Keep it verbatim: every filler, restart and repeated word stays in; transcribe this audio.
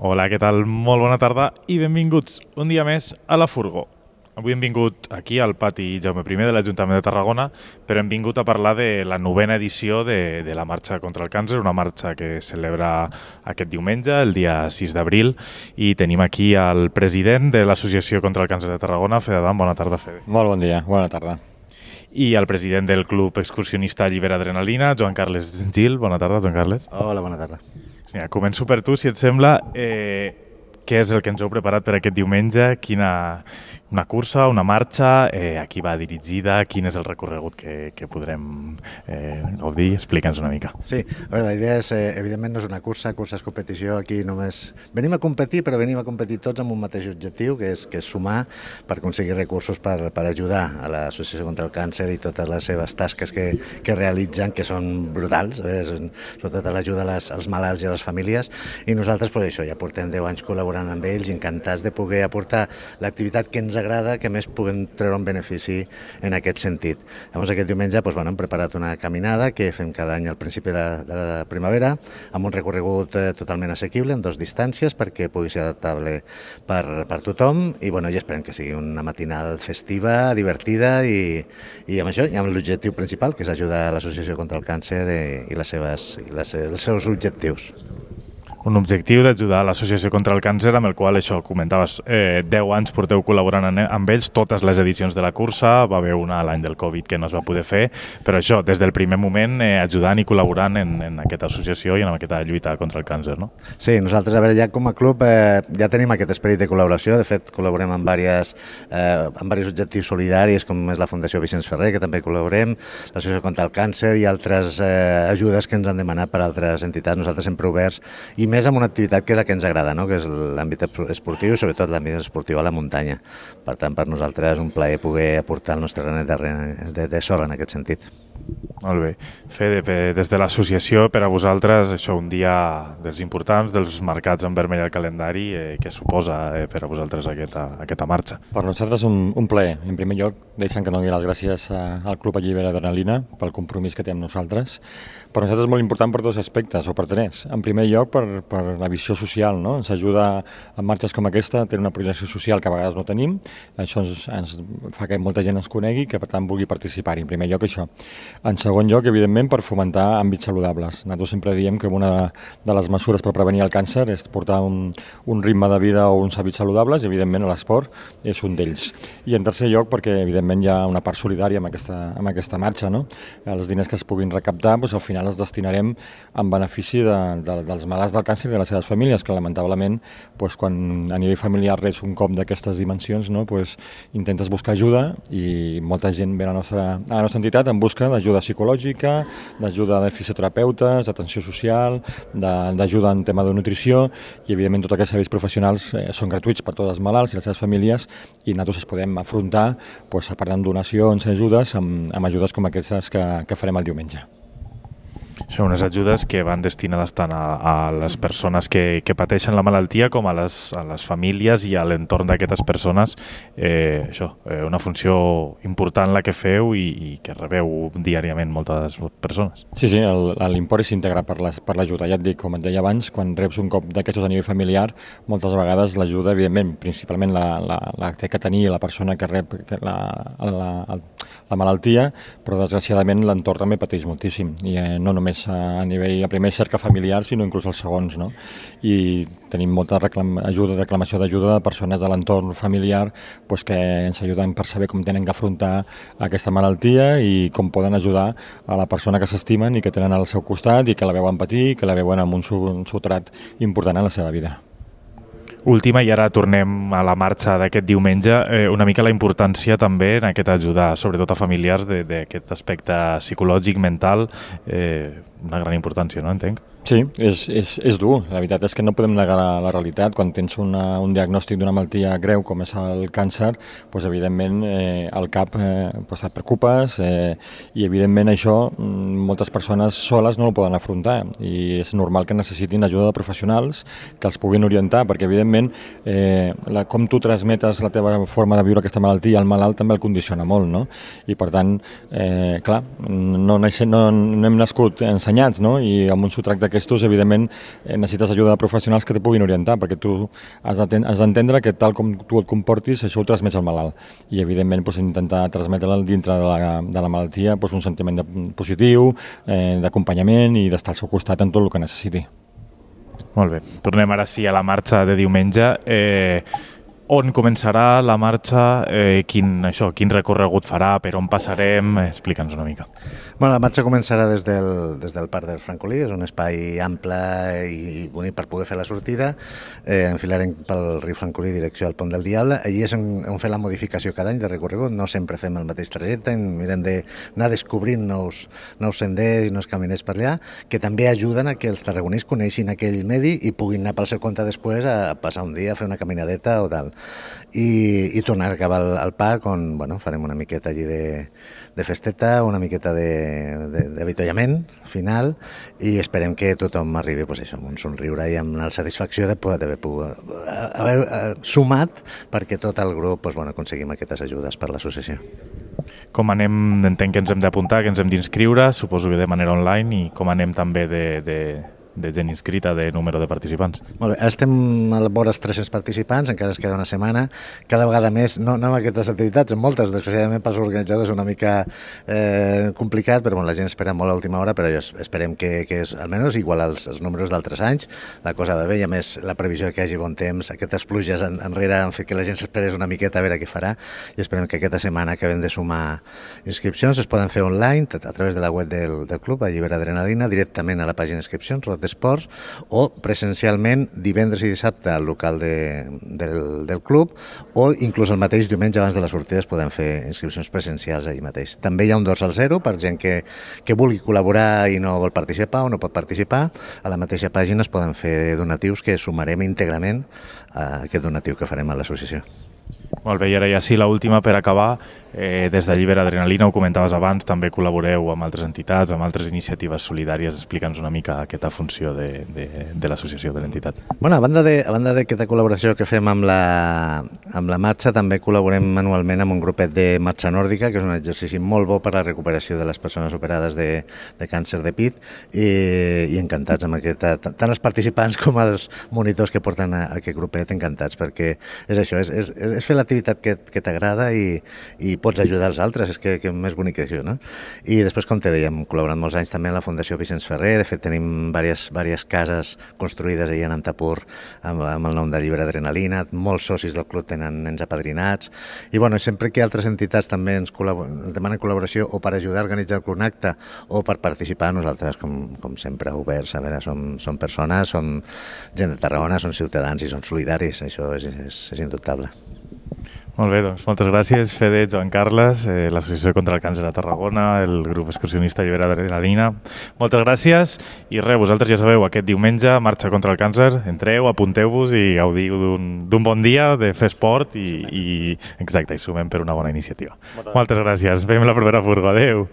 Hola, què tal? Molt bona tarda i benvinguts un dia més a La Furgó. Avui hem vingut aquí al pati Jaume primer de l'Ajuntament de Tarragona, però hem vingut a parlar de la novena edició de, de la Marxa contra el Càncer, una marxa que es celebra aquest diumenge, el dia sis d'abril, i tenim aquí el president de l'Associació contra el Càncer de Tarragona, Fede Adam. Bona tarda, Fede. Molt bon dia, bona tarda. I el president del Club Excursionista Llibera Adrenalina, Joan Carles Gil. Bona tarda, Joan Carles. Hola, bona tarda. Mira, començo per tu, si et sembla. Eh, què és el que ens heu preparat per aquest diumenge? Quina, una cursa, una marxa? Eh, a qui va dirigida? Quin és el recorregut que, que podrem eh, gaudir? Explica'ns una mica. Sí, a veure, la idea és, eh, evidentment, no és una cursa, cursa és competició, aquí només... Venim a competir, però venim a competir tots amb un mateix objectiu, que és, que és sumar per aconseguir recursos per, per ajudar a l'Associació contra el Càncer i totes les seves tasques que, que realitzen, que són brutals, eh? Sobretot l'ajuda als, als malalts i a les famílies, i nosaltres, per això, ja portem deu anys col·laborant amb ells, encantats de poder aportar l'activitat que ens agrada, que més puguem treure un benefici en aquest sentit. Llavors, aquest diumenge doncs, bueno, hem preparat una caminada que fem cada any al principi de la, de la primavera, amb un recorregut eh, totalment assequible, en dues distàncies, perquè pugui ser adaptable per, per tothom, i, bueno, i esperem que sigui una matinal festiva, divertida, i, i amb això, i amb l'objectiu principal, que és ajudar a l'Associació contra el Càncer i, i, les seves, i les, els seus objectius. Un objectiu d'ajudar a l'Associació contra el Càncer, amb el qual, això, comentaves, eh, deu anys porteu col·laborant amb ells, totes les edicions de la cursa, va haver una l'any del Covid que no es va poder fer, però això, des del primer moment, eh, ajudant i col·laborant en, en aquesta associació i en aquesta lluita contra el càncer, no? Sí, nosaltres, a veure, ja com a club eh, ja tenim aquest esperit de col·laboració, de fet, col·laborem amb diversos eh, amb diversos objectius solidaris, com és la Fundació Vicenç Ferrer, que també col·laborem, l'Associació contra el Càncer i altres eh, ajudes que ens han demanat per altres entitats, nosaltres sempre oberts, i més amb una activitat que és la que ens agrada, no? Que és l'àmbit esportiu, sobretot l'àmbit esportiu a la muntanya. Per tant, per nosaltres és un plaer poder aportar el nostre granet de, de, de sorra en aquest sentit. Molt bé. Fede, des de l'associació, per a vosaltres, això, un dia dels importants, dels marcats en vermell al calendari, eh, què suposa eh, per a vosaltres aquesta, aquesta marxa? Per nosaltres un, un plaer. En primer lloc, deixant que doni les gràcies a, al Club Llibera Adrenalina pel compromís que té amb nosaltres. Per nosaltres és molt important per dos aspectes, o per tres. En primer lloc, per, per la visió social, no? Ens ajuda en marxes com aquesta a tenir una projecció social que a vegades no tenim. Això ens, ens fa que molta gent ens conegui i que, per tant, vulgui participar-hi. En primer lloc, això. En segon lloc, evidentment, per fomentar àmbits saludables. Nosaltres sempre diem que una de les mesures per prevenir el càncer és portar un, un ritme de vida o uns hàbits saludables, i, evidentment, l'esport és un d'ells. I, en tercer lloc, perquè, evidentment, hi ha una part solidària amb aquesta, amb aquesta marxa, no? Els diners que es puguin recaptar, doncs, al final els destinarem en benefici de, de, dels malalts del càncer i de les seves famílies, que, lamentablement, doncs, quan a nivell familiar reps un cop d'aquestes dimensions, no? Doncs, intentes buscar ajuda, i molta gent ve a la nostra, a la nostra entitat en busca d'ajuda psicològica, d'ajuda de fisioterapeutes, d'atenció social, d'ajuda en tema de nutrició, i, evidentment, tots aquests serveis professionals eh, són gratuïts per tots els malalts i les seves famílies, i nosaltres es podem afrontar doncs, parlant de donacions i ajudes amb, amb ajudes com aquestes que, que farem el diumenge. Són unes ajudes que van destinades tant a, a les persones que, que pateixen la malaltia com a les, a les famílies i a l'entorn d'aquestes persones. Eh, això, eh, una funció important la que feu i, i que rebeu diàriament moltes persones. Sí, sí, l'import és íntegre per l'ajuda. Ja et dic, com et deia abans, quan reps un cop d'aquestos a nivell familiar, moltes vegades l'ajuda, evidentment, principalment la, la, la té que tenir la persona que rep la, la, la, la malaltia, però desgraciadament l'entorn també pateix moltíssim, i eh, no només a nivell, a primer cerca familiar, sinó inclús als segons, no? I tenim molta reclam, ajuda, reclamació d'ajuda de persones de l'entorn familiar pues, que ens ajuden per saber com tenen que afrontar aquesta malaltia i com poden ajudar a la persona que s'estimen i que tenen al seu costat i que la veuen patir, que la veuen amb un substrat important en la seva vida. Última, i ara tornem a la marxa d'aquest diumenge, eh, una mica la importància també en aquesta ajuda, sobretot a familiars, d'aquest aspecte psicològic, mental, eh, una gran importància, no? Entenc? Sí, és, és, és dur. La veritat és que no podem negar la, la realitat. Quan tens una, un diagnòstic d'una malaltia greu com és el càncer, doncs, evidentment, eh, al cap eh, doncs et preocupes eh, i, evidentment, això moltes persones soles no ho poden afrontar i és normal que necessitin ajuda de professionals que els puguin orientar, perquè, evidentment, eh, la, com tu transmetes la teva forma de viure aquesta malaltia al malalt també el condiciona molt, no? I, per tant, eh, clar, no, no, no hem nascut ensenyats, no? I amb un subtracte d'aquestos, evidentment, eh, necessites ajuda de professionals que te puguin orientar, perquè tu has d'entendre que tal com tu et comportis, això ho transmets al malalt. I, evidentment, doncs, intentar transmetre-li dintre de la, de la malaltia doncs, un sentiment de, positiu, eh, d'acompanyament i d'estar al seu costat en tot el que necessiti. Molt bé. Tornem ara sí a la marxa de diumenge. Eh, on començarà la marxa? Eh, quin, això, quin recorregut farà? Per on passarem? Explica'ns una mica. Bueno, la marxa començarà des del, des del Parc del Francolí, és un espai ample i bonic per poder fer la sortida. Eh, enfilarem pel riu Francolí direcció al Pont del Diable. Allí és on, on fem la modificació cada any de recorregut, no sempre fem el mateix trajecte, mirem d'anar descobrint nous, nous senders i nous caminers per allà, que també ajuden a que els tarragonins coneixin aquell medi i puguin anar pel seu compte després a passar un dia a fer una caminadeta o tal. I, i tornar a acabar al, al parc on bueno, farem una miqueta allí de, de festeta, una miqueta d'avituallament final i esperem que tothom arribi pues, això, amb un somriure i amb la satisfacció de poder haver, haver, haver sumat perquè tot el grup pues, bueno, aconseguim aquestes ajudes per l'associació. Com anem, entenc que ens hem d'apuntar, que ens hem d'inscriure, suposo que de manera online, i com anem també de... de... de gent inscrita, de número de participants. Molt bé, ara estem a la vora dels tres-cents participants, encara es queda una setmana, cada vegada més, no, no amb aquestes activitats, en moltes, desgraciadament pels organitzadors és una mica eh, complicat, però bueno, la gent espera molt a l'última hora, però esperem que, que és almenys igual als, als números d'altres anys, la cosa va bé, i a més la previsió que hi hagi bon temps, aquestes pluges en, enrere han fet que la gent s'esperés una miqueta a veure què farà, i esperem que aquesta setmana acabem de sumar inscripcions, es poden fer online, a través de la web del, del club, a Llibera Adrenalina, directament a la pàgina d'inscripcions, d'esports, o presencialment divendres i dissabte al local de, del, del club, o inclús el mateix diumenge abans de la sortida es poden fer inscripcions presencials allà mateix. També hi ha un dorsal zero per gent que, que vulgui col·laborar i no vol participar o no pot participar. A la mateixa pàgina es poden fer donatius que sumarem íntegrament a aquest donatiu que farem a l'associació. Molt bé, i ara ja sí, l'última per acabar. Eh, des de Llibera Adrenalina, ho comentaves abans, també col·laboreu amb altres entitats, amb altres iniciatives solidàries. Explica'ns una mica aquesta funció de, de, de l'associació, de l'entitat. Bueno, a banda de, a banda d'aquesta col·laboració que fem amb la, amb la marxa, també col·laborem manualment amb un grupet de marxa nòrdica, que és un exercici molt bo per a la recuperació de les persones operades de, de càncer de pit, i, i encantats amb aquesta, tant els participants com els monitors que porten a, a aquest grupet, encantats, perquè és això, és, és, és fer l'activitat que, que t'agrada i, i pots ajudar els altres, és que, que més bonic que això, no? I després, com te dèiem, col·laborant molts anys també amb la Fundació Vicenç Ferrer, de fet tenim diverses, diverses cases construïdes allà en Antapur amb, amb el nom de Llibera Adrenalina, molts socis del club tenen nens apadrinats, i bueno, sempre que altres entitats també ens, ens demanen col·laboració o per ajudar a organitzar algun acte o per participar, nosaltres, com, com sempre, oberts, a veure, som, som persones, som gent de Tarragona, som ciutadans i som solidaris, això és, és, és indubtable. Molt bé, doncs moltes gràcies, Fede, Joan Carles, eh, l'Associació contra el Càncer a Tarragona, el grup excursionista Llibera Adrenalina. Moltes gràcies i res, vosaltres ja sabeu, aquest diumenge, marxa contra el càncer, entreu, apunteu-vos i gaudiu d'un bon dia de fer esport i, i exacte, i sumem per una bona iniciativa. Moltes, moltes gràcies, veiem la propera furgo, adeu.